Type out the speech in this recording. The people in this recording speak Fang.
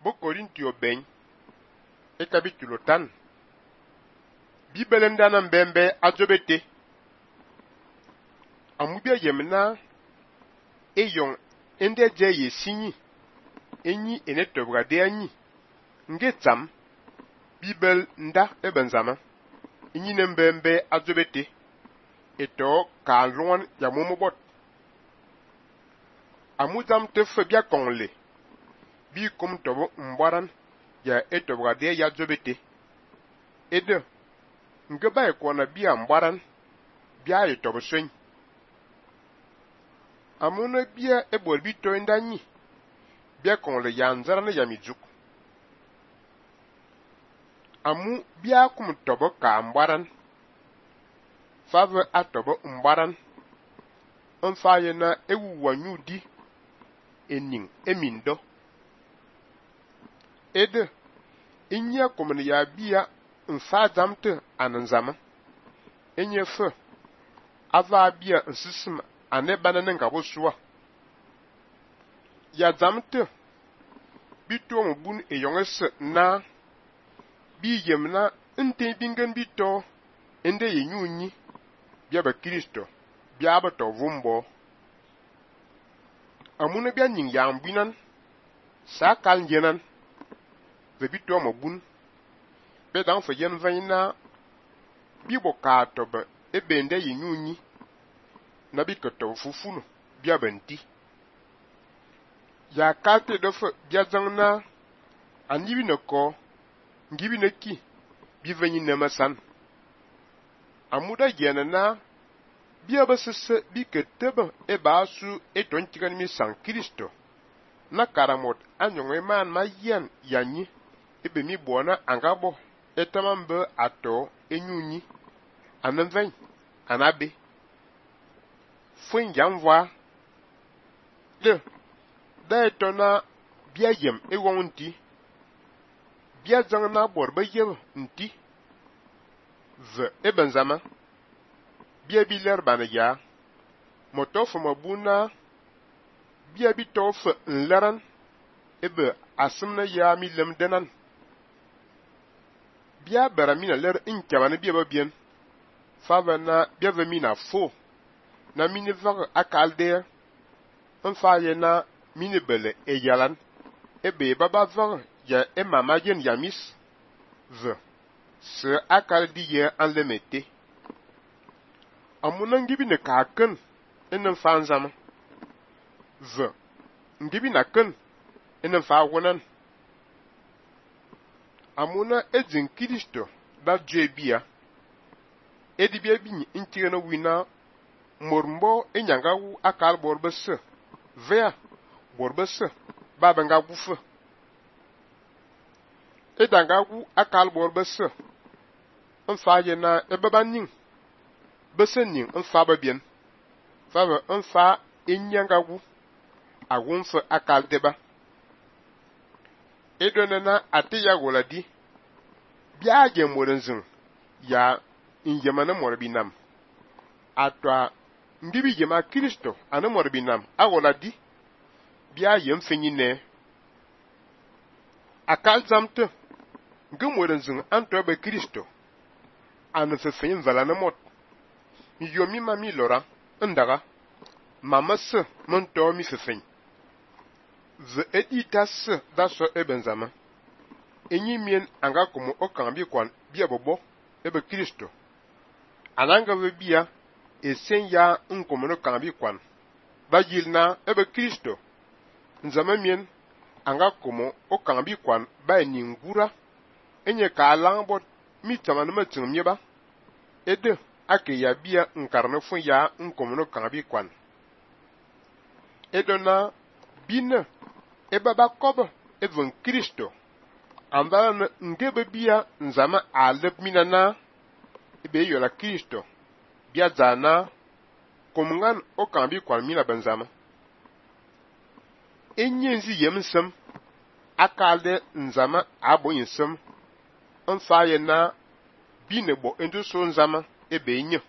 Bo Korintio ben e capítulo tan. Bibele ndana mbembe azobete. Amubia yemna eyon ende je yesinyi enyi ene tobgade anyi ngetsam bibel nda ebenzama enyi nembembe azobete eto ka luan ya momobot amuzam te febia kongle bi kum tobo mbwaran ya etobgade ya zobete ede ngeba ekona bia mbwaran bia etobo swen amuna bia ebol bito ndanyi bia kongle ya nzarana ya mijuk amu bia kum tobo ka mbwaran fave atobo mbwaran onfaye na ewu wanyudi ening emindo ede inya komne ya bia nfa zamte ananzama enye fe ava bia nsisim ane banane ngabo suwa ya zamte bito mbun eyongese na bi yemna nte bingen bito ende yenyunyi bia ba Kristo bia ba to vumbo amuna bia ning ya ambinan sakal njenan ve bito mabun be dan fe yen vaina bi boka to ba ebende yenyunyi na bi koto fufunu bia benti ya kalte do fe bia zangna anyibi nako ngibi neki bi venyi nemasan amuda yena na bia basese bi keteba e basu e tontigan mi san Kristo na karamot anyonge man ma yen yanyi ebe mi bona angabo etamambe ato enyunyi ananven anabe fuen jamwa de etona bia yem e wonti bia zangna borba yem nti ve ebenzama bia biler banaya motof mabuna bia bitof nlaran ebe asimna ya mi lem denan bia baramina ler inkabane bia babien favana bia vemina fo na mini vag akalde onfaye na mini bele eyalan ebe baba vag ya emama yen yamis ve se akaldi ye anlemete amuna ngibi ne kaken enen fanzama ve ngibi na ken enen fa wonan amuna edzin Kristo ba jebia edibia bi intigena wina mormbo enyangawu akal borbese vea borbese babanga gufe edangawu akal borbese onfaye na ebabanin besenin onfa babien fava onfa enyangawu awunfe akal deba edonena atiya goladi biaje morenzin ya injemana morbinam atwa ndibi jema Kristo ana morbinam awoladi biaje mfenyine akal zamte ngumorenzin anto be Kristo ana fefenyin valana mot yomi mami lora ndaga mamase monto mi fefeny ve editas daso ebenzama enyi mien anga komo okambi kwan bia bobo ebe Kristo ananga ve bia esenya nkomo no kambi kwan bajilna ebe Kristo nzama mien anga komo okambi kwan ba ningura enye ka langbot mitama no matin mieba ede ake ya bia nkarno fun ya nkomo no kambi kwan edona bina ebaba kobo even Kristo andana ngebe bia nzama alep minana ebe yola Kristo bia zana komungan okambi kwan mina benzama enyenzi yemsem akalde nzama abo yinsem onfaye na binebo endo so nzama ebe nye